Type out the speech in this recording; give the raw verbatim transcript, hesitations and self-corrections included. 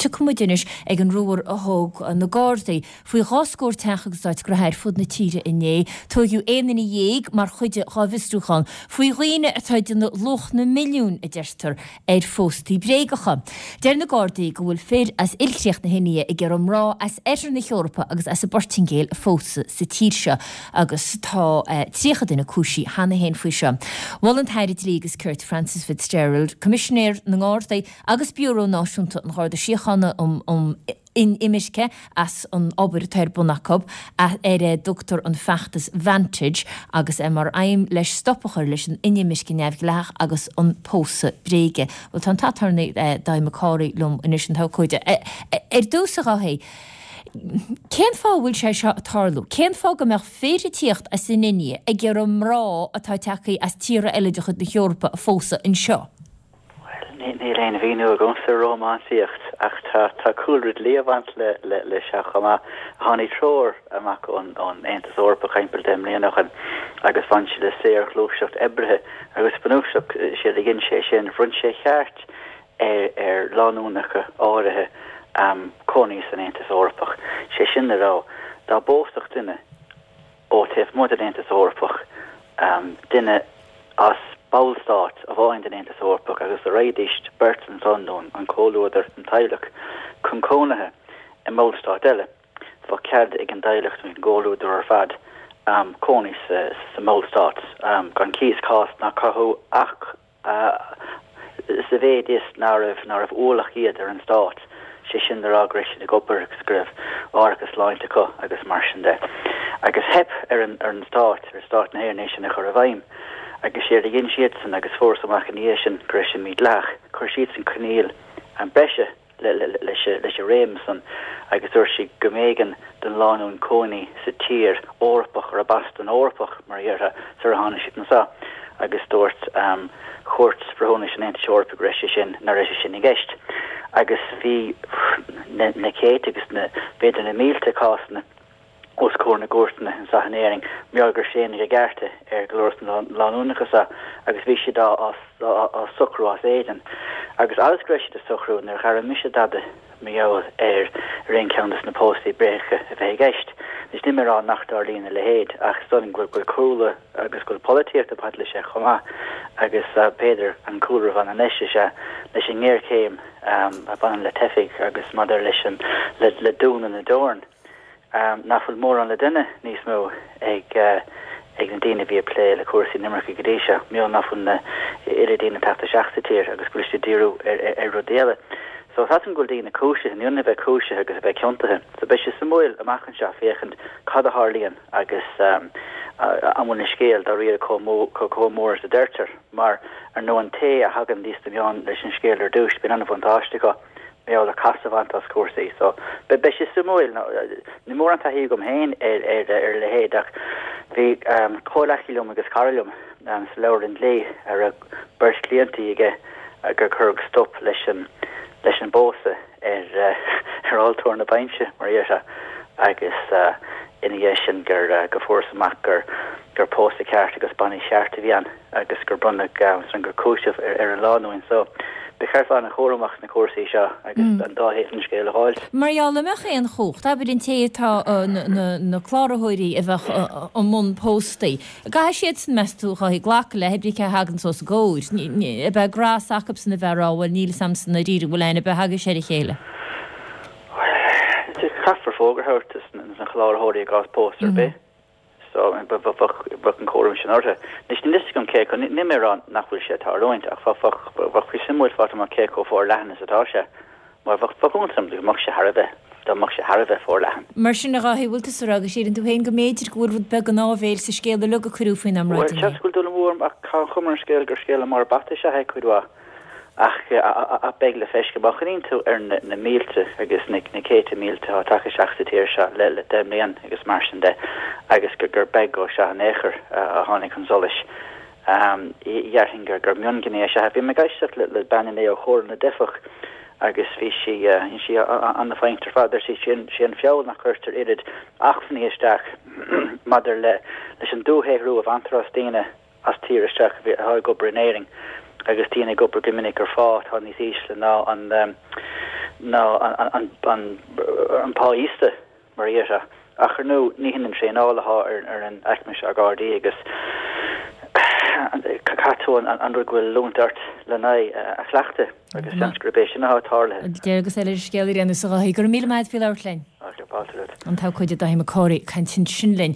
tiocfaidh muid anois ag an ruathar a thóg na Gardaí faoi dhá scór teach agus áit ghnótha ar fud na tíre inné. Tóigeadh aon duine dhéag mar chuid dhá bhfiosrúchán faoi dhaoine atá ag déanamh luach na milliún a deirtear ar phóstaí bréagacha. Deir na Gardaí go bhfuil fir as ilchríoch na hIndia ag iarraidh mná as oirthear na hEorpa agus as an bPortaingéil a phósadh sa tír seo agus tá eh, tríocha duine cúisithe cheana féin faoi seo. Mhol an tAire Dlí agus Cirt Frances Fitzgerald, Coimisinéir na nGardaí agus Biúró Náisiúnta an Gharda Síochána um, um inimirce as an obair atá ar bun acu ar a dtugtar an feachtas Vantage agus é mar aidhm leis stop a chur leis an inimirce neamhdhleathach agus an pósadh bréige. Well tá an t-aturnae Dáithí Mac Cárthaigh liom anois an t-abhcóide. Ar dtús a Dháithí, Cén fáth bhfuil sé seo ag tarlú? Cén fáth go mbeadh fir ag tíocht as an India ag iarraidh mná atá tagtha as tíortha eile de chuid na hEorpa a phósadh anseo? Níl aon mhíniú agam sa rómánsaíocht ach tá tá cúlra dlí ag baint le le le seo chomh maith. Tháinig treoir amach ón ón Aontas Eorpach timpeall deich mbliana ó shin agus bhain sé le saorghluaiseacht oibrithe agus bunúsach sé a dhein sé sin bhronn sé ceart ar ar lánúnacha áirithe um, cónaí san Aontas Eorpach. Sé sin le rá dá bpósfadh duine ó taobh amuigh den Aontas Eorpach um, duine as ballstát amháin den Aontas Eorpach agus a raghaidís beirt ansan nó an comhluadar an teaghlach chun cónaithe i mballstát eile. Bheadh cead ag an dteaghlach an gcomhluadar ar fad um, cónaí sa, sa mballstát um, gan cíos cás ná cothú ach uh, sa mhéid is nach raibh nach raibh ualach iad ar an stát. sé sin le rá go raibh siad ag obair agus go raibh árachas sláinte acu agus mar sin de. Agus theip ar an ar an stát ar stát na hÉireann é sin a chur i bhfeidhm. agus sé a dhein siadsan agus fuarthas amach ina dhiaidh sin go raibh sin mídhleathach, chuir siadsan coinníoll an breise leis leis an réim san agus dúirt siad go mb'éigean don lánúin cónaí sa tír Eorpach ar bas don Eorpach mar a déarfá sar a tháinig siad anseo agus dúirt um, Chúirt Bhreithiúnais an Aontais Eorpaigh go raibh sé sin nach raibh sé sin i gceist. Agus bhí na, na céadta agus na b'fhéidir na mílte cásanna os comhair na gcúirteanna anseo in Éirinn mar gur séanadh a gcearta ar go leor na lánúnacha seo agus bhí siad á á socrú as éadan. Agus agus go raibh siad a socrú níor airigh mise dada mar gheall ar ar aon cheann des na póstaí bréige a bheith i gceist. Is ní rá nach dtarlaíonn a leithéid ach don go bhfuil cúlra agus go bhfuil polaitíocht ag baint leis sé chomh maith agus uh, b'fhéidir an cúlra bhain leis sé leis an ngéarchéim um, a bhaineann le teifigh agus maidir leis an le, le dúnadh na dteorann. Um, nach bhfuil mórán le déanamh níos mó ag uh, ag na daoine bhí ag plé le cúrsaí inimirce go dtí seo, mí nach bhfuil na oiread daoine ag teacht isteach sa tír agus go bhfuil siad díriú ar, ar, ar rud eile. So tá go bhfuil daoine cúisithe ní bheith cúisithe agus a bheith ciontaithe. So beidh sé suimiúil amach anseo féachaint cad a tharlaíonn agus um, an bhfuil an scéal dáiríre chomh mór is a deirtear mar ar nó an té a thagann níos na meáin leis an scéal ar dtús bíonn an-bhuntáiste acu mé le cas a bhaint as cúrsaí so be be sé suimiúil níl mórán taithí agam féin ar ar ar leithéid ach bhí um, comhghleacaí liom agus cara liom um, sa leabharlann dlí ar a beirt cliantí aige gur cuireadh stop leis an leis an bpósadh ar uh, ar altóir na bainse mar é agus uh, ina dhiaidh sin gur uh, go fuarthas amach gur gur pósadh ceart agus bainis cheart a bhí ann agus gur bronnadh um, gur cúiseamh ar, ar an lánúin so ba cheart an-chúramach na cúrsaí seo agus mm. an dá thaobh an scéil a fháil. Mar le mbeadh aon chumhacht, abair an té atá na cláraitheoirí a bheadh i mbun póstaí. Caithfidh siad san meas tú chuí glacadh le hébrí hagan sos góir, a bheith grás acu san a bheith ráhfuil níl samsan na rí bhfuil aine be hagus sé a chéile. Caithfear fógra a thabhairt na cláraitheoirí i gcás pósadh ar bith. So bheadh an cúram sin orthu. Níos níos gom cé ní mé rá nach bhfuil sé tarlúint ach bheadh suimiúil fáil amach cé chomh forleathan is atá sé. Mar bheadh iontas orm go mbeadh sé thar a bheith dá mbeadh sé thar a bheith forleathan. Mar sin a Dháithí bhfuil tú ag rá go síleann tú féin go mb'fhéidir go bhfuil rud beag an áibhéil sa scéal uilig a cuireadh faoin Well mbráid. bhfuil dul mór ach tá chumar an scéal gur scéal mar bata se chuid mhaith. ach a beidh le feiceáil má chuimhníonn tú ar na mílte agus na céadta mílte atá tagtha isteach sa tír seo le le deich mbliana agus mar sin de agus gur gur beag dhó seo in aon chor a tháinig chun solais. Um, Déarfainn gur gur mionghné se bhí mé ag éisteacht le le bean é ó Chomhairle na dTeifeach agus bhí sí sí an-fhoighneach ar fad sí sin sé an feall nach gcuirtear oiread acmhainní isteach maidir le leis an dúshaothrú a bhaintear as daoine as tír isteach atá ag obair in Éirinn agus daoine ag obair go minic ar phá atá níos ísle ná an um, ná an an pá íosta mar dhea. Ach ar ndóigh ní hin an traenáil atá ar ar an aicme seo Gardaí agus caithfidh tú an rud go bhfuil oiliúint ort lena aghaidh a chleachtadh agus seans gurb é sin atá tarlaithe. Deireadh agus eile ar scéal ar aon nós a Dháithí. Go raibh míle maith agat faoi labhairt linn. Fáilte romhat. An t-abhcóide Dáithí Mac Cárthaigh ag caint ansin linn.